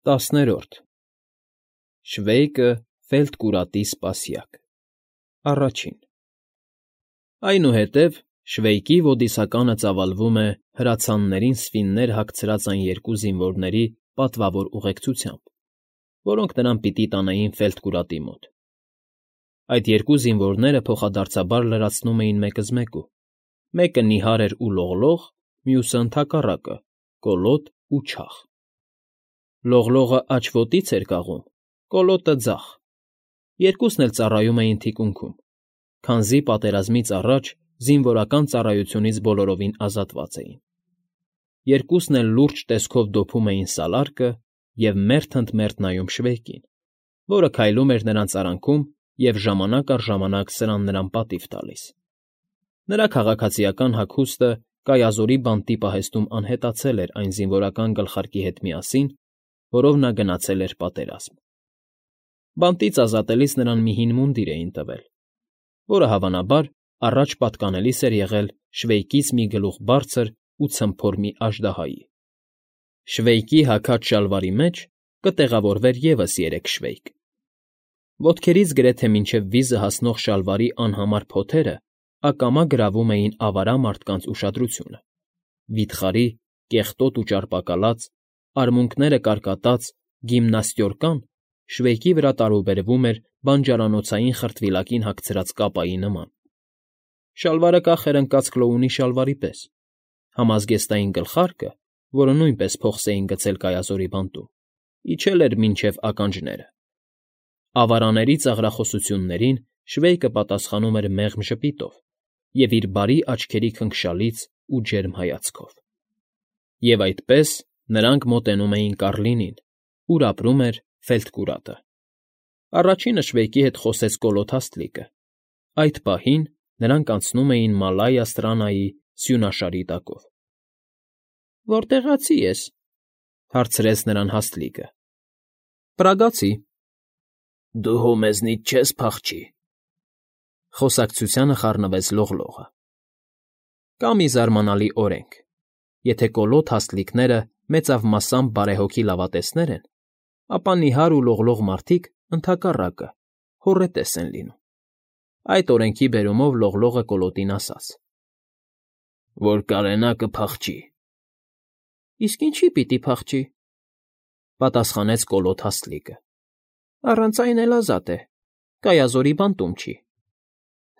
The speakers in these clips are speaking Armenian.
10-րդ Շվեյկը Ֆելդկուրատի սպասյակ Առաջին Այնուհետև Շվեյկի ոդիսականը ծավալվում է հրացաններին սվիններ հագցրած այն երկու զինվորների պատվավոր ուղեկցությամբ, որոնք նրան պիտի տանեին Ֆելդկուրատի մոտ։ Այդ երկու զինվորները փոխադարձաբար լրացնում էին մեկզմեկու, մեկը նիհար էր ու լողլող, մյուսը ընդհակառակը՝ կոլոտ ու չաղ։ Լողլողը աջ ոտից էր կաղում, կոլոտը՝ ձախ, երկուսն էլ ծառայում էին թիկունքում, քանզի պատերազմից առաջ զինվորական ծառայությունից բոլորովին ազատված էին։ Երկուսն էլ լուրջ տեսքով դոփում էին սալարկը և մերթ ընդ մերթ նայում Շվեյկին, որը քայլում էր նրանց արանքում և ժամանակ առ ժամանակ սրան նրան պատիվ տալիս։ Նրա քաղաքացիական հագուստը կայազորի բանտի պահեստում անհետացել էր այն զինվորական գլխարկի հետ միասին, որով նա գնացել էր պատերազմ։ Բանտից ազատելիս նրան մի հին մունդիր էին տվել, որը, հավանաբար, առաջ պատկանելիս էր եղել Շվեյկից մի գլուխ բարձր ու ցմփոր մի աժդահայի։ Շվեյկի հագած շալվարի մեջ կտեղավորվեր ևս 3 շվեյկ։ Ոտքերից գրեթե մինչև վիզը հասնող շալվարի անհամար փոթերը ակամա գրավում էին ավարա մարդկանց ուշադրությունը։ Վիթխարի, կեղտոտ ու ճարպակալած, արմունկները կարկատած գիմնաստյորկան Շվեյկի վրա տարուբերվում էր բանջարանոցային խրտվիլակին հագցրած կապայի նման։ Շալվարը կախ էր ընկած Կլոունի շալվարի պես, համազգեստային գլխարկը, որը նույնպես փոխս էին գցել կայազորի բանտում, իջել էր մինչև ականջները։ Ավարանների ծաղրախոսություններին Շվեյկը պատասխանում էր մեղմ ժպիտով և իր բարի աչքերի քնքշալից ու ջերմ հայացքով։ Եվ այդպես նրանք մոտենում էին Կառլինին, ուր ապրում էր Ֆելդկուրատը։ Առաջինը Շվեյկի հետ խոսեց Կոլոտ Հաստլիկը։ Այդ պահին նրանք անցնում էին Մալայա Ստրանայի սյունաշարի տակով։ ֊ Որտեղացի ես,֊ հարցրեց նրան Հաստլիկը։ ֊ Պրագացի։ ֊ Դու հո մեզնից չես փախչի,֊ խոսակցությանը խառնվեց Լողլողը։ Կա մի զարմանալի օրենք. եթե Կոլոտ Հաստլիկները մեծավ բարեհոգի լավատեսներ են, ապա նիհար ու լողլող մարդիկ, ընդհակառակը, հոռետես են լինում։ Այդ օրենքի բերումով Լողլողը Կոլոտին ասաց. «Որ կարենա կփախչի»։ ֊ Իսկ ինչի՞ պիտի փախչի,֊ պատասխանեց Կոլոտ Հաստլիկը։ ֊ Առանց այն էլ ազատ է, կայազորի բանտում չի։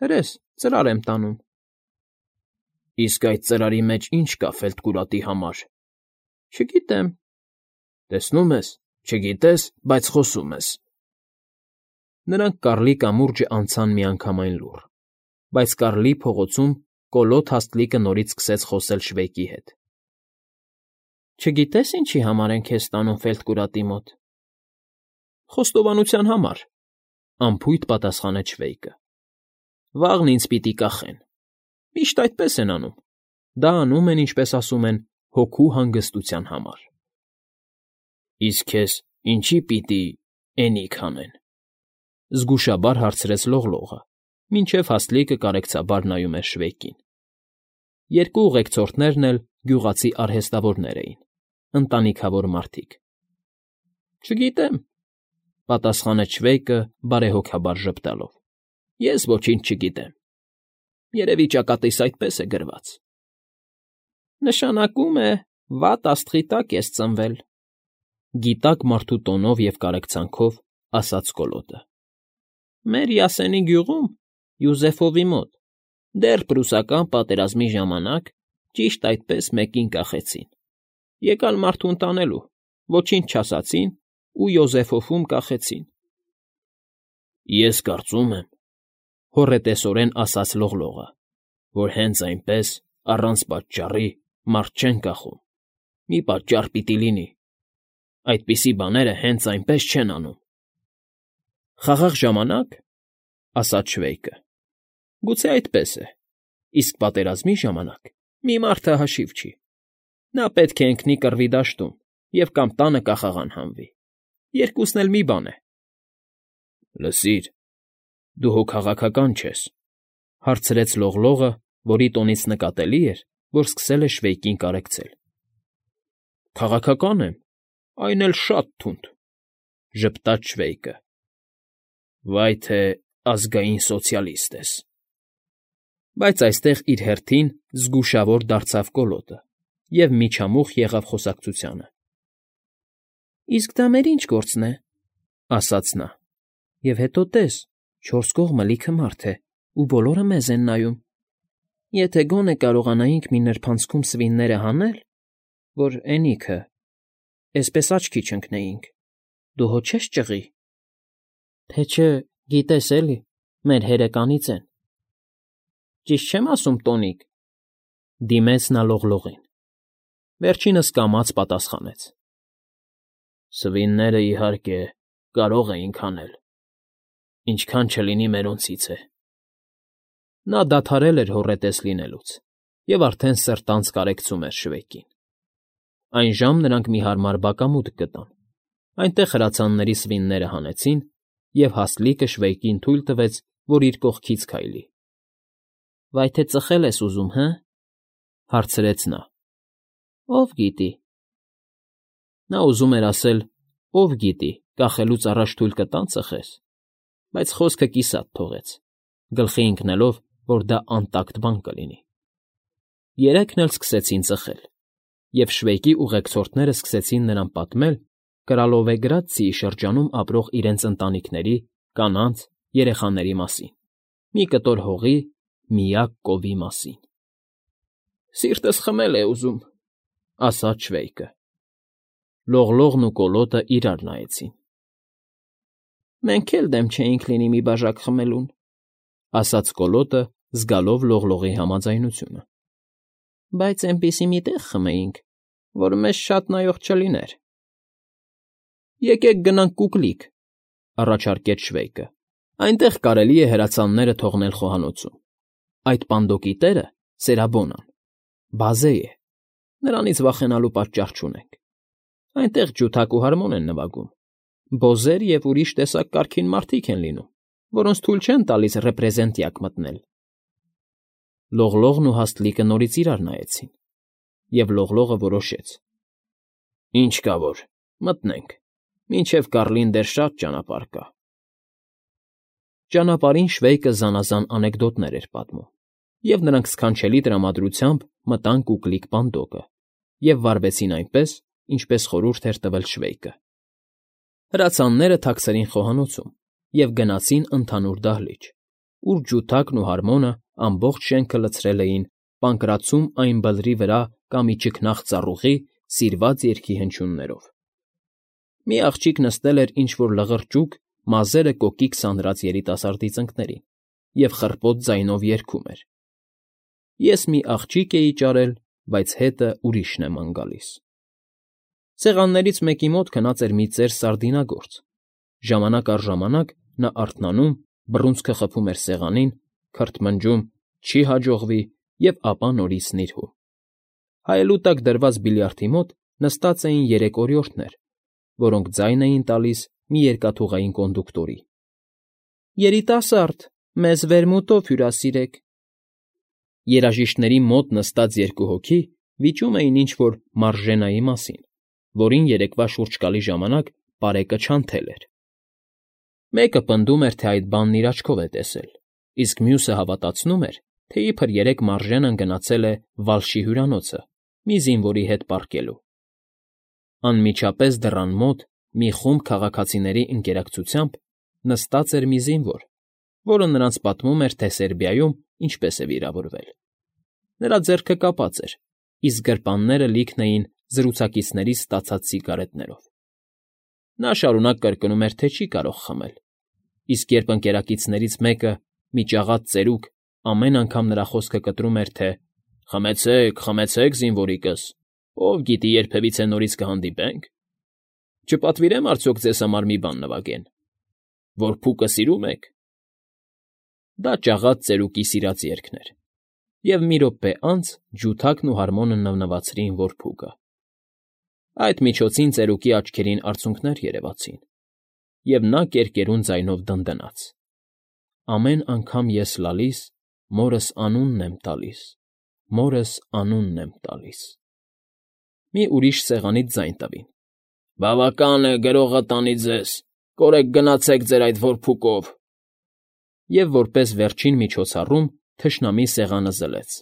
Հրես, ծրար եմ տանում։ ֊ Իսկ այդ ծրարի մեջ ի՞նչ կա Ֆելդկուրատի համար։ ֊ Չգիտեմ։ ֊ Տեսնում ես, չգիտես, բայց խոսում ես։ Նրանք կառլի կամուրջն անցան միանգամայն լուռ, բայց կառլի փողոցում Կոլոտ Հաստլիկը նորից սկսեց խոսել Շվեյկի հետ։ ֊ Չգիտե՞ս ինչի համար են քեզ տանում Ֆելդկուրատի մոտ։ ֊ Խոստովանության համար,֊ անփույթ պատասխանեց Շվեյկը։ ֊ Վաղն ինձ պիտի կախեն։ Միշտ այդպես են անում։ Դա անում են, ինչպես ասում են, հոգու հանգստության համար։ ֊ Իսկ քեզ ինչի՞ պիտի էնիկ հանեն,֊ զգուշաբար հարցրեց Լողլողը, մինչև Հաստլիկը կարեկցաբար նայում էր Շվեյկին։ Երկու ուղեկցորդներն էլ գյուղացի արհեստավորներ էին, ընտանիքավոր մարդիկ։ ֊ Չգիտեմ,֊ պատասխանեց Շվեյկը բարեհոգաբար ժպտալով։ ֊ Ես ոչինչ չգիտեմ։ Երևի ճակատիս այդպես է գրված։ ֊ Նշանակում է, վատ աստղի տակ ես ծնվել,֊ գիտակ մարդու տոնով և կարեկցանքով ասաց Կոլոտը։ ֊ Մեր Յասենի գյուղում, Յուզեֆովի մոտ, դեռ պրուսական պատերազմի ժամանակ ճիշտ այդպես մեկին կախեցին։ Եկան մարդու ընտանելու, ոչինչ չասացին ու Յոզեֆովում կախեցին։ ֊ Ես կարծում եմ,֊ հոռետեսորեն ասաց Լողլողը,֊ որ հենց այնպես, առանց պատճառի, մարդ չեն կախում։ Մի պատճառ պիտի լինի։ Այդպիսի բաները հենց այնպես չեն անում։ ֊ Խաղաղ ժամանակ,֊ ասաց Շվեյկը,֊ գուցե այդպես է, իսկ պատերազմի ժամանակ մի մարդը հաշիվ չի։ Նա պետք է ընկնի կռվի դաշտում և կամ տանը կախաղան հանվի։ Երկուսն էլ մի բան է։ ֊ Լսիր, դու հո քաղաքական չես,֊ հարցրեց Լողլողը, որի տոնից նկատելի էր, որ սկսել է Շվեյկին կարեկցել։ ֊ Քաղաքական եմ, Այն էլ շատ թունդ,֊ ժպտաց Շվեյկը։ Վայ թե ազգային սոցիալիստ ես։ Բայց այստեղ իր հերթին զգուշավոր դարձավ Կոլոտը և միջամուխ եղավ խոսակցությանը։ Իսկ դա մեր ինչ գործն է,֊ ասաց նա։ Եվ հետո տես, 4 կողմը լիքը մարդ է, ու բոլորը մեզ են նայում։ Եթե գոնե կարողանայինք մի նրբանցքում սվինները հանել, որ էնիքը, էսպես աչքի չընկնեինք, դու հո չես ճղի։ Թե չէ, գիտես էլի, մեր հերը կանից են։ Ճիշտ չեմ ասում, Տոնիկ,֊ դիմեց նա լողլողին։ Վերջինս կամաց պատասխանեց. Սվինները, իհարկե, կարող էինք հանել, ինչքան չլինի մերոնցից է։ Նա դադարել էր հոռետես լինելուց և արդեն սրտանց կարեկցում էր Շվեյկին։ Այն ժամ նրանք մի հարմար բակամուտք գտան, այնտեղ հրացանների սվինները հանեցին, և հաստլիկը Շվեյկին թույլ տվեց, որ իր կողքից քայլի։ Վայ թե ծխել ես ուզում, հը՞, հարցրեց նա։ Ով գիտի։ Նա ուզում էր ասել. ով գիտի, կախելուց առաջ թույլ կտա՞ն ծխես, բայց խոսքը կիսատ թողեց, գլխի ընկնելով, որ դա անտակտ բան կլինի։ Երեքն էլ սկսեցին ծխել, և Շվեյկի ուղեկցորդները սկսեցին նրան պատմել Կրալովեգրադցիի շրջանում ապրող իրենց ընտանիքների, կանանց, երեխաների մասին, մի կտոր հողի, միակ կովի մասին։ Սիրտս խմել է ուզում,֊ ասաց Շվեյկը։ Լողլողն ու Կոլոտը իրար նայեցին։ Մենք էլ դեմ չէինք լինի մի բաժակ խմելուն,֊ ասաց Կոլոտը, զգալով լողլողի համաձայնությունը։ Բայց էնպիսի մի տեղ խմեինք, որ մեզ շատ նայող չլիներ։ Եկեք գնանք Կուկլիկ,֊ առաջարկեց Շվեյկը։ Այնտեղ կարելի է հրացանները թողնել խոհանոցում։ Այդ պանդոկի տերը Սերաբոնան բազե է, նրանից վախենալու պատճառ չունենք։ Այնտեղ ջութակ ու հարմոն են նվագում, բոզեր և ուրիշ տեսակ կարգին մարդիկ են լինում, որոնց թույլ չեն տալիս ռեպրեզենտյակ մտնել։ Լողլողն ու հաստլիկը նորից իրար նայեցին, և լողլողը որոշեց. Ինչ կա որ, մտնենք, մինչև Կառլին դեռ շատ ճանապարհ կա։ Ճանապարհին Շվեյկը զանազան անեկդոտներ էր պատմում, և նրանք սքանչելի տրամադրությամբ մտան Կուկլիկ պանդոկը և վարվեցին այնպես, ինչպես խորհուրդ էր տվել Շվեյկը։ Հրացանները թաքցրին խոհանոցում և գնացին ընդհանուր դահլիճ, ուր ջութակն ու հարմոնը ամբողջ շենքը լցրել էին Պանկրացում այն բլրի վրա կա մի ճքնաղ ծառուղի սիրված երգի հնչյուններով։ Մի աղջիկ նստել էր ինչ֊որ լղրճուկ, մազերը կոկիկ սանրած երիտասարդի ծնկներին և խռպոտ ձայնով երգում էր. Ես մի աղջիկ էի ճարել, բայց հետը ուրիշն է ման գալիս։ Սեղաններից մեկի մոտ քնած էր մի ծեր սարդինագործ։ Ժամանակ առ ժամանակ նա արթնանում, բռունցքը խփում էր սեղանին, քրթմնջում «չի հաջողվի» և ապա նորից նիրհում։ Հայելու տակ դրված բիլիարդի մոտ նստած էին 3 օրիորդներ, որոնք ձայն էին տալիս մի երկաթուղային կոնդուկտորի. Երիտասարդ, մեզ վերմուտով հյուրասիրեք։ Երաժիշտների մոտ նստած 2 հոգի վիճում էին ինչ֊որ մարժենայի մասին, որին երեկվա շուրջկալի ժամանակ պարեկը չանթել էր։ Մեկը պնդում էր, թե այդ բանն իր աչքով է տեսել, իսկ մյուսը հավատացնում էր, թե իբր 3 մարժենն գնացել է Վալշի հյուրանոցը մի զինվորի հետ պառկելու։ Անմիջապես դռան մոտ, մի խումբ քաղաքացիների ընկերակցությամբ, նստած էր մի զինվոր, որը նրանց պատմում էր, թե Սերբիայում ինչպես է վիրավորվել։ Նրա ձեռքը կապած էր, իսկ գրպանները լիքն էին զրուցակիցներից ստացած սիգարետներով։ Նա շարունակ կրկնում էր, թե չի կարող խմել, իսկ երբ ընկերակիցներից մեկը, մի ճաղած ծերուկ, ամեն անգամ նրա խոսքը կտրում էր, թե «Խմեցեք, խմեցեք, զինվորիկս, ով գիտի երբևիցե նորից կհանդիպենք, չպատվիրեմ արդյոք ձեզ համար մի բան նվագեն, որ փուկը սիրում եք»։ Դա ճաղած ծերուկի սիրած երգն էր, և մի րոպե անց ջութակն ու հարմոնը նվնվացրին որփուկը։ Այդ միջոցին ծերուկի աչքերին արցունքներ երևացին, և նա կերկերուն ձայնով դնդնաց. Ամեն անգամ ես լալիս, մորս անունն եմ տալիս, մորս անունն եմ տալիս։ Մի ուրիշ սեղանից ձայն տվին, Բավական է, գրողը տանի ձեզ, կորեք գնացեք ձեր այդ որփուկով։ Եվ որպես վերջին միջոցառում թշնամի սեղանը զլեց.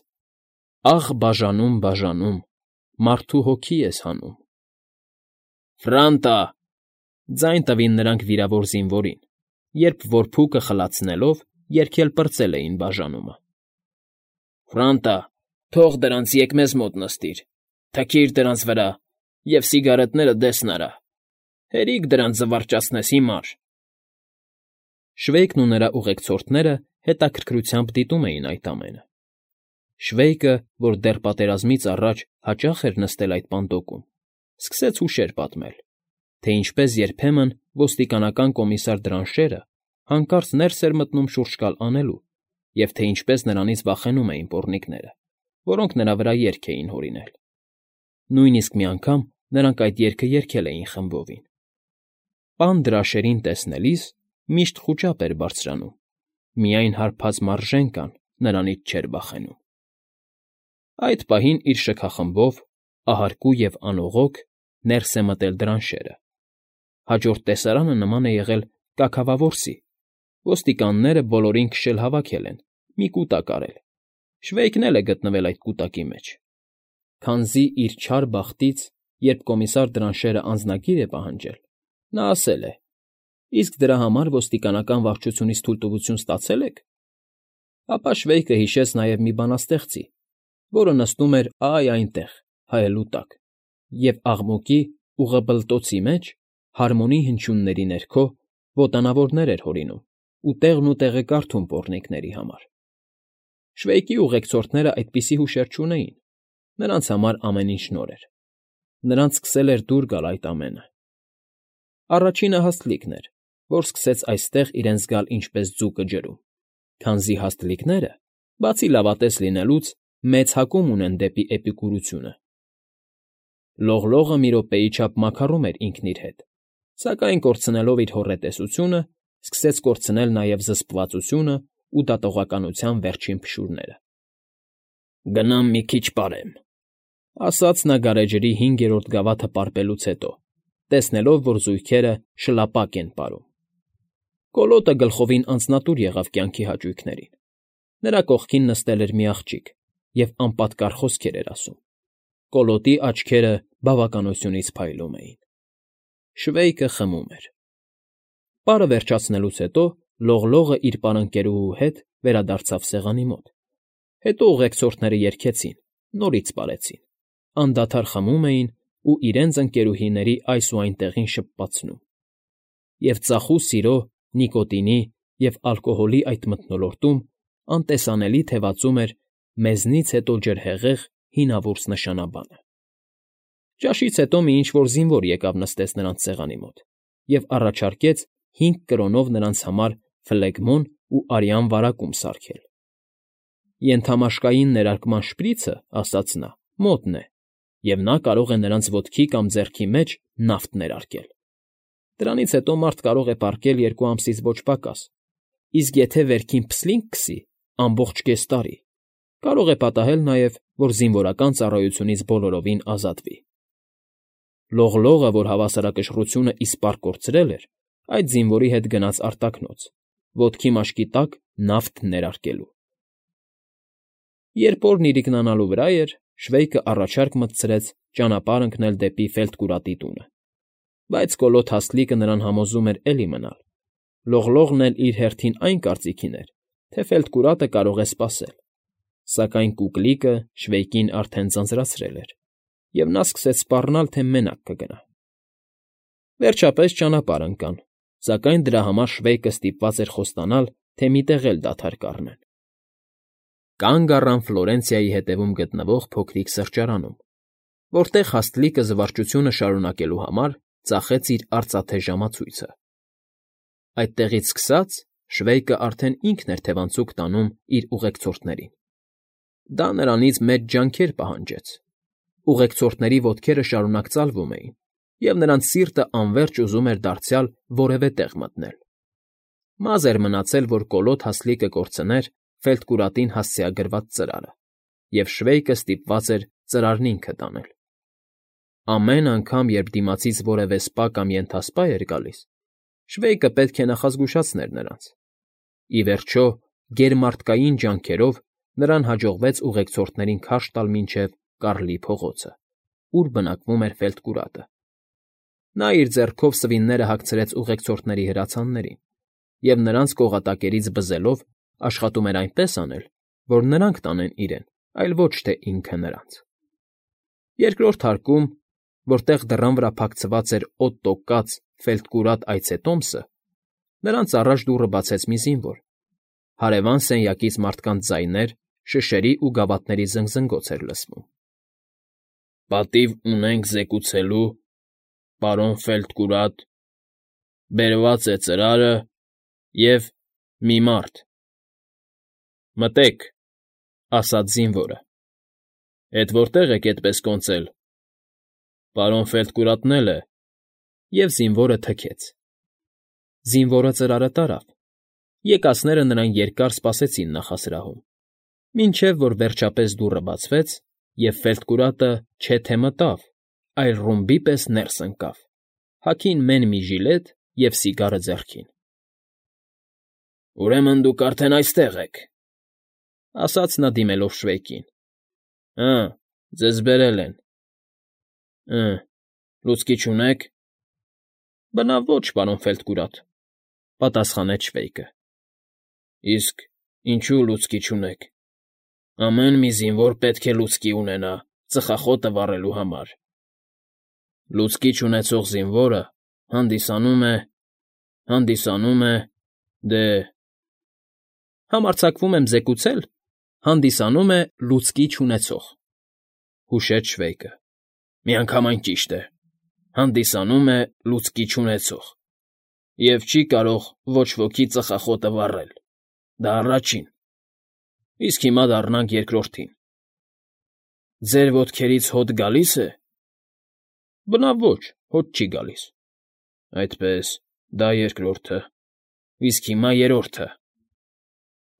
Աղ բաժանում, բաժանում, մարդու հոգի ես հանում։ Ֆրանտա, ձայն տվին նրանք վիրավոր զինվորին, երբ որփուկը խլացնելով երգել պրծել էին բաժանումը։ Ֆրանտա, թող դրանց եկ մեզ մոտ նստիր, թքիր դրանց վրա և սիգարետները դես նրա, հերիք դրանց զվարճացնես հիմար։ Շվեյկն ու նրա ուղեկցորդները հետաքրքրությամբ դիտում էին այդ ամենը։ Շվեյկը, որ դեռ պատերազմից առաջ հաճախ էր նստել այդ պանդոկում, սկսեց հուշեր պատմել, թե ինչպես երբեմն ոստիկանական կոմիսար Դրանշերը հանկարծ ներս էր մտնում շուրջ գալ անելու, և թե ինչպես նրանից վախենում էին պոռնիկները, որոնք նրա վրա երգ էին հորինել։ Նույնիսկ մի անգամ նրանք այդ երգը երգել էին խմբովին։ Պան Դրաշերին տեսնելիս միշտ խուճապ էր բարձրանում, միայն հարբած մարժենկան նրանից չէր վախենում։ Այդ պահին իր շքախմբով, ահարկու և անողոք, ներս է մտել Դրանշերը։ Հաջորդ տեսարանը նման է եղել կաքավավորսի, ոստիկանները բոլորին քշել հավաքել են, մի կուտակ արել, Շվեյկն էլ է գտնվել այդ կուտակի մեջ։ Քանզի իր չար բախտից, երբ կոմիսար Դրանշերը անձնագիր է պահանջել, նա ասել է. «Իսկ դրա համար ոստիկանական վարչությունից թույլտվություն ստացե՞լ եք»։ Ապա Շվեյկը հիշեց նաև մի բանաստեղծի, որը նստում էր այնտեղ, հայելու տակ, և աղմուկի ուղեբլտոցի մեջ, հարմոնի հնչյունների ներքո, ոտանավորներ էր հորինում ու տեղնուտեղը կարդում պոռնիկների համար։ Շվեյկի ուղեկցորդները այդպիսի հուշեր չունեին, նրանց համար ամեն ինչ նոր էր։ Նրանց սկսել էր դուր գալ այդ ամենը։ Առաջինը Հաստլիկն էր, որ սկսեց այստեղ իրենց զգալ ինչպես ձուկը ջրում, քանզի հաստլիկները, բացի լավատես լինելուց, մեծ հակում ունեն դեպի էպիկուրությունը։ Լողլողը մի րոպեի չափ մաքարում էր ինքն իր հետ, սակայն կորցնելով իր հոռետեսությունը, սկսեց կորցնել նաև զսպվածությունը ու դատողականության վերջին փշուրները։ «Գնամ մի քիչ պարեմ», ասաց նա գարեջրի 5-րդ գավաթը պարպելուց հետո, տեսնելով, որ զույգերը շլապակ են պարում։ Կոլոտը գլխովին անձնատուր եղավ կյանքի հաճույքներին։ Նրա կողքին նստել էր մի աղջիկ և անպատկառ խոսքեր էր ասում։ Կոլոտի աչքերը բավականությունից փայլում էին։ Շվեյկը խմում էր։ Պարը վերջացնելուց հետո Լողլողը իր պարընկերուհու հետ վերադարձավ սեղանի մոտ։ Հետո ուղեկցորդները երգեցին, նորից պարեցին, անդադար խմում էին ու իրենց ընկերուհիների այս ու այն տեղին շփվածնում։ Եվ ծախու սիրո, նիկոտինի և ալկոհոլի այդ մթնոլորտում անտեսանելի թևածում էր մեզնից հետո ջրհեղեղ հինավուրց նշանաբանը։ Ճաշից հետո մի ինչ֊որ զինվոր եկավ նստեց նրանց սեղանի մոտ և առաջարկեց 5 կրոնով նրանց համար ֆլեգմոն ու արյան վարակում սարքել։ Ենթամաշկային ներարկման շպրիցը, ասաց նա, մոտն է, և նա կարող է նրանց ոտքի կամ ձեռքի մեջ նավթ ներարկել։ Դրանից հետո մարդ կարող է պառկել 2 ամսից ոչ պակաս, իսկ եթե վերքին փսլինք քսի, ամբողջ կես տարի, կարող է պատահել նաև, որ զինվորական ծառայությունից բոլորովին ազատվի։ Լողլողը, որ հավասարակշռությունը իսպառ կորցրել էր, այդ զինվորի հետ գնաց արտաքնոց, ոտքի մաշկի տակ նավթ ներարկելու։ Երբ օրն իրիկնանալու վրա էր, Շվեյկը առաջարկ մտցրեց ճանապարհ ընկնել դեպի Ֆելտկուրատի տունը, բայց Կոլոտ Հաստլիկը նրան համոզում էր էլի մնալ։ Լողլողն էլ իր հերթին այն կարծիքին էր, թե Ֆելտկուրատը կարող է սպասել, սակայն Կուկլիկը Շվեյկին արդեն ձանձրացրել էր, և նա սկսեց սպառնալ, թե մենակ կգնա։ Վերջապես ճանապարհ ընկան, սակայն դրա համար Շվեյկը ստիպված էր խոստանալ, թե մի տեղ էլ դադար կառնեն։ Կանգ առան Ֆլորենցիայի հետևում գտնվող փոքրիկ սրճարանում, որտեղ Հաստլիկը զվարճությունը շարունակելու համար ծախեց իր արծաթե ժամացույցը։ Այդտեղից սկսած Շվեյկը արդեն ինքն էր թևանցուկ տանում իր ուղեկցորդներին։ Դա նրանից մեծ ջանքեր պահանջեց։ Ուղեկցորդների ոտքերը շարունակ ծալվում էին, և նրանց սիրտը անվերջ ուզում էր դարձյալ որևէ տեղ մտնել։ Մազ էր մնացել, որ Կոլոտ Հաստլիկը կորցներ Ֆելտկուրատին հասցեագրված ծրարը, և Շվեյկը ստիպված էր ծրարն ինքը տանել։ Ամեն անգամ, երբ դիմացից որևէ սպա կամ ենթասպա էր գալիս, Շվեյկը պետք է նախազգուշացներ նրանց։ Ի վերջո, գերմարդկային ջանքերով նրան հաջողվեց ուղեկցորդներին քարշ տալ մինչև Կարլի փողոցը, ուր բնակվում էր Ֆելտկուրատը։ Նա իր ձեռքով սվինները հագցրեց ուղեկցորդների հրացաններին և նրանց կողատակերից բզելով աշխատում էր այնպես անել, որ նրանք տանեն իրեն, այլ ոչ թե ինքը նրանց։ Երկրորդ հարկում, որտեղ դռան վրա փակցված էր օդտո կաց Ֆելտկուրատ այցետոմսը, նրանց առաջ դուռը բացեց մի զինվոր։ Հարևան սենյակից մարդկանց ձայներ, շշերի ու գավաթների զնգզնգոց էր լսվում։ ֊ Պատիվ ունենք զեկուցելու, պարոն Ֆելտկուրատ, բերված է ծրարը և մի մարդ։ ֊ Մտեք, ֊ ասաց զինվորը։ ֊ Էդ որտե՞ղ եք էդպես կոնծել։ ֊ Պարոն Ֆելտկուրատն էլ է։ Եվ զինվորը թքեց։ Զինվորը ծրարը տարավ։ Եկածները նրան երկար սպասեցին նախասրահում, մինչև որ վերջապես դուռը բացվեց, և Ֆելտկուրատը չէ թե մտավ, այլ ռումբի պես ներս ընկավ, հագին մեն մի ժիլետ և սիգարը ձեռքին։ ֊ Ուրեմն դուք արդեն այստեղ եք, ֊ ասաց նա դիմելով Շվեյկին։ ֊ Հը, ձեզ բերել են։ ֊ Լուցկի չունե՞ք։ ֊ Բնավ ոչ, պարոն Ֆելտկուրատ, ֊ պատասխանեց Շվեյկը։ ֊ Իսկ ինչու լուցկի չունեք։ Ամեն մի զինվոր պետք է լուցկի ունենա ծխախոտը վառելու համար։ Լուցկի չունեցող զինվորը հանդիսանում է, դե… Համարձակվում եմ զեկուցել, հանդիսանում է լուցկի չունեցող, ֊ հուշեց Շվեյկը։ Միանգամայն ճիշտ է, հանդիսանում է լուցկի չունեցող, և չի կարող ոչ ոքի ծխախոտը վառել, դա առաջին, իսկ հիմա դառնանք երկրորդին։ Ձեր ոտքերից հոտ գալի՞ս է։ ֊ Բնավ ոչ, հոտ չի գալիս։ ֊ Այդպես, դա երկրորդը, իսկ հիմա երրորդը։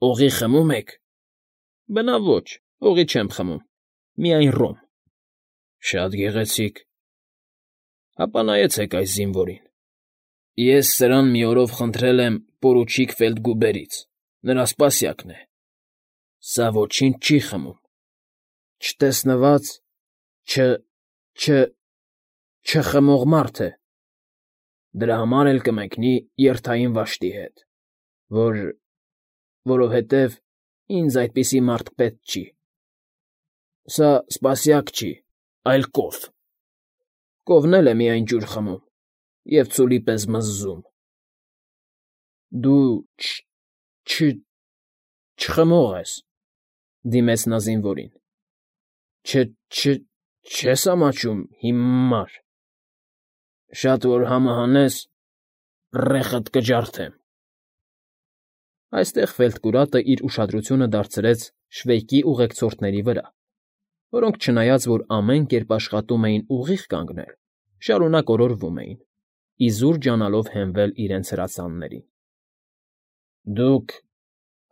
Օղի խմում եք։ ֊ Բնավ ոչ, օղի չեմ խմում, միայն ռոմ։ ֊ Շատ գեղեցիկ։ Հապա նայեցեք այս զինվորին։ Ես սրան մի օրով խնդրել եմ պորուչիկ Ֆելտգուբերից, նրա սպասյակն է։ Սա ոչինչ չի խմում։ Չտեսնված, չխմող մարդ է։ Դրա համար էլ կմեկնի երթային վաշտի հետ, որովհետև ինձ այդպիսի մարդ պետք չի։ Սա սպասյակ չի, այլ կով։ Կովն էլ է միայն ջուր խմում և ցուլի պես մզզում։ Դու չխմող ես, ֊ դիմեց նա զինվորին։ Չես ամաչում հիմար։ Շատ որ համը հանես, ռեխդ կջարդեմ։ Այստեղ Ֆելտկուրատը իր ուշադրությունը դարձրեց Շվեյկի ուղեկցորդների վրա, որոնք, չնայած որ ամեն կերպ աշխատում էին ուղիղ կանգնել, շարունակ օրորվում էին, իզուր ջանալով հենվել իրենց հրացաններին։ ֊ Դուք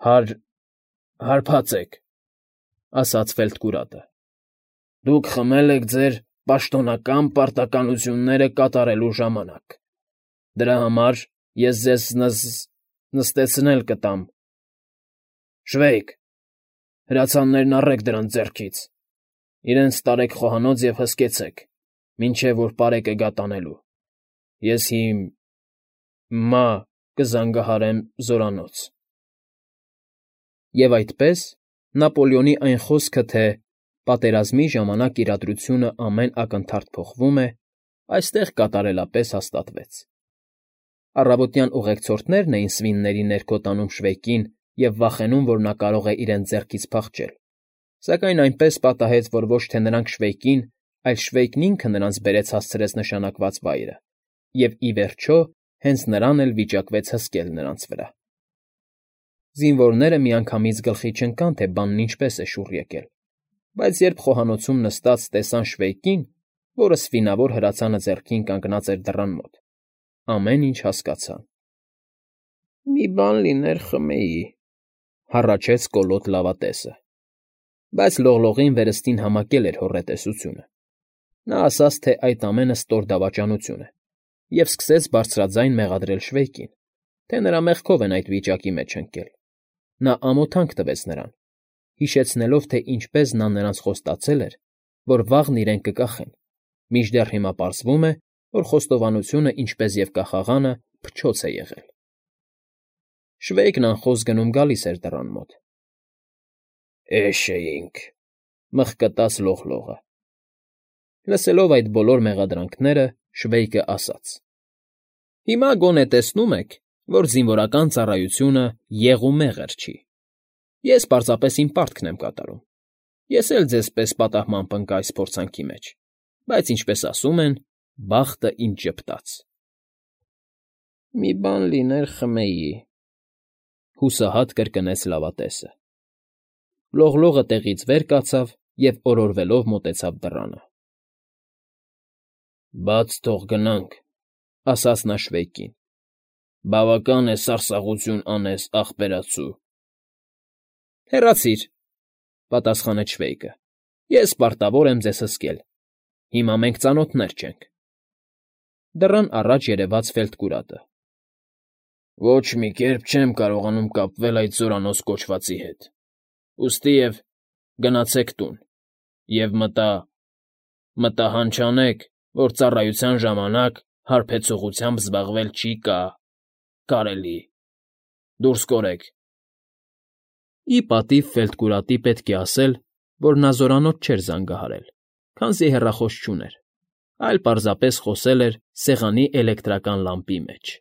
հարբած եք, ֊ ասաց Ֆելտկուրատը։ Դուք խմել եք ձեր պաշտոնական պարտականությունները կատարելու ժամանակ։ Դրա համար ես ձեզ նստեցնել կտամ։ Շվեյկ, հրացաններն առեք դրանց ձեռքից, իրենց տարեք խոհանոց և հսկեցեք, մինչև որ պարեկը գա տանելու։ Ես հիմա կզանգահարեմ զորանոց։ Եվ այդպես, Նապոլեոնի այն խոսքը, թե պատերազմի ժամանակ իրադրությունը ամեն ակնթարթ փոխվում է, այստեղ կատարելապես հաստատվեց։ Առավոտյան ուղեկցորդներն էին սվինների ներքո տանում Շվեյկին և վախենում, որ նա կարող է իրենց ձեռքից փախչել, սակայն այնպես պատահեց, որ ոչ թե նրանք Շվեյկին, այլ Շվեյկն ինքը նրանց բերեց հասցրեց նշանակված վայրը, և, ի վերջո, հենց նրան էլ վիճակվեց հսկել նրանց վրա։ Զինվորները միանգամից գլխի չընկան, թե բանն ինչպես է շուռ եկել, բայց երբ խոհանոցում նստած տեսան Շվեյկին, որը սվինավոր հրացանը ձեռքին կանգնած էր դռան մոտ, ամեն ինչ հասկացան։ ֊ Մի բան լիներ խմեի, ֊ հառաչեց կոլոտ լավատեսը, բայց լողլողին վերստին համակել էր հոռետեսությունը։ Նա ասաց, թե այդ ամենը ստոր դավաճանություն է, և սկսեց բարձրաձայն մեղադրել Շվեյկին, թե նրա մեղքով են այդ վիճակի մեջ ընկել. նա ամոթանք տվեց նրան, հիշեցնելով, թե ինչպես նա նրանց խոստացել էր, որ վաղն իրեն կկախեն, մինչդեռ հիմա պարզվում է, որ խոստովանությունը, ինչպես և կախաղանը, փչոց է եղել։ Շվեյկն անխոս գնում֊գալիս էր դռան մոտ։ «Էշ էինք,֊ մխկտաց լողլողը։ Լսելով այդ բոլոր մեղադրանքները, Շվեյկը ասաց. «Հիմա գոնե տեսնում եք, որ զինվորական ծառայությունը եղումեղր չի։ Ես պարզապես իմ պարտքն եմ կատարում։ Ես էլ ձեզ պես պատահմամբ ընկա այս փորձանքի մեջ, բայց, ինչպես ասում են, բախտը ինձ ժպտաց»։ «Մի բան լիներ խմեի,֊ հուսահատ կրկնեց լավատեսը։ Լողլողը տեղից վեր կացավ և օրորվելով մոտեցավ դռանը։ «Բաց թող գնանք,֊ ասաց նա Շվեյկին։֊ Բավական է սարսափություն անես, ախպերացու»։ «Հեռացիր,֊ պատասխանեց Շվեյկը։֊ Ես պարտավոր եմ ձեզ հսկել։ Հիմա մենք ծանոթներ չենք»։ Դռան առաջ երևաց Ֆելտկուրատը։ «Ոչ մի կերպ չեմ կարողանում կապվել այդ զորանոց կոչվածի հետ, ուստիև գնացեք տուն և մտա հանճանեք, որ ծառայության ժամանակ հարբեցողությամբ զբաղվել չի կարելի, դուրս կորեք»։ Ի պատիվ Ֆելտկուրատի պետք է ասել, որ նա զորանոց չէր զանգահարել, քանզի հեռախոս չուներ, այլ պարզապես խոսել էր սեղանի էլեկտրական լամպի մեջ։